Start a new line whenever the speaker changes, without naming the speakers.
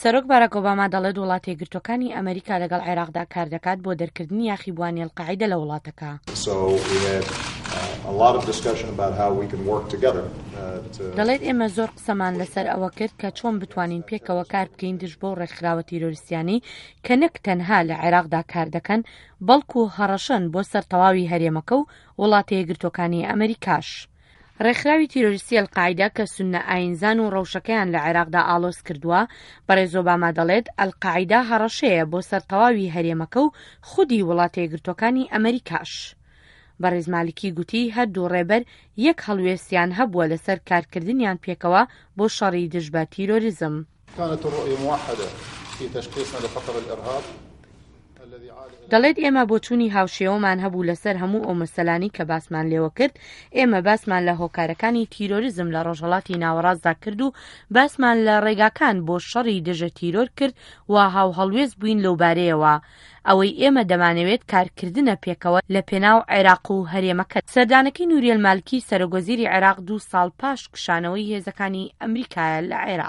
سەرۆک باراک ئۆباما دەڵێت وڵاتەیەکگرتووەکانی ئەمەریکا لەگەڵ عێراقدا کاردەکات بۆ دەرکردنی یاخیبووانی ئەلقاعیدە لە وڵاتەکە. دەڵێت ئێمە زۆر قسەمان لەسەر ئەوە کرد کە چۆن بتوانین پێکەوە کار بکەین دژ بەو ڕێکخراوە تیرۆریستیانەی کە نەک تەنها لە عێراقدا کار دەکەن بەڵکو هەڕەشەن بۆ سەر تەواوی هەرێمەکە و وڵاتەیەکگرتووەکانی ئەمەریکاش. ڕێکخراوی تیرۆریستی ئەلقاعیدە کە سوننە ئایینزان و ڕەوشەکەیان لە عێراقدا ئاڵۆز کردووە، بەڕێز ئۆباما دەڵێت ئەلقاعیدە هەڕەشەیە بۆ سەر تەواوی هەرێمەکە و خودی وڵاتەیەکگرتووەکانی ئەمەریکاش. بەڕێز مالکی گوتی هەردوو ڕێبەر یەک هەڵوێستیان هەبووە لەسەر کارکردنیان پێکەوە بۆ شەڕی دژ بە تیرۆریزم.
كانت الرؤية موحدة في تشخيصنا لخطر الإرهاب
دەڵێت ئێمە بۆچوونی هاوشێوەمان هەبوو لەسەر هەموو ئەو مەسەلانەی کە باسمان لێوە کرد، ئێمە باسمان لە هۆکارەکانی تیرۆریزم لە ڕۆژهەڵاتی ناوەڕاستدا کرد و باسمان لە ڕێگاکان بۆ شەڕی دژە تیرۆر کرد و هاوهەڵوێست بووین لەوبارەیەوە. ئەوەی ئێمە دەمانەوێت کارکردنە پێکەوە لە پێناو عێراق و هەرێمەکە. سەردانەکەی نوریەل مالکی سەرۆکوەزیری عێراق دوو ساڵ پاش کشانەوەی هێزەکانی ئەمریکایە لە عێراق.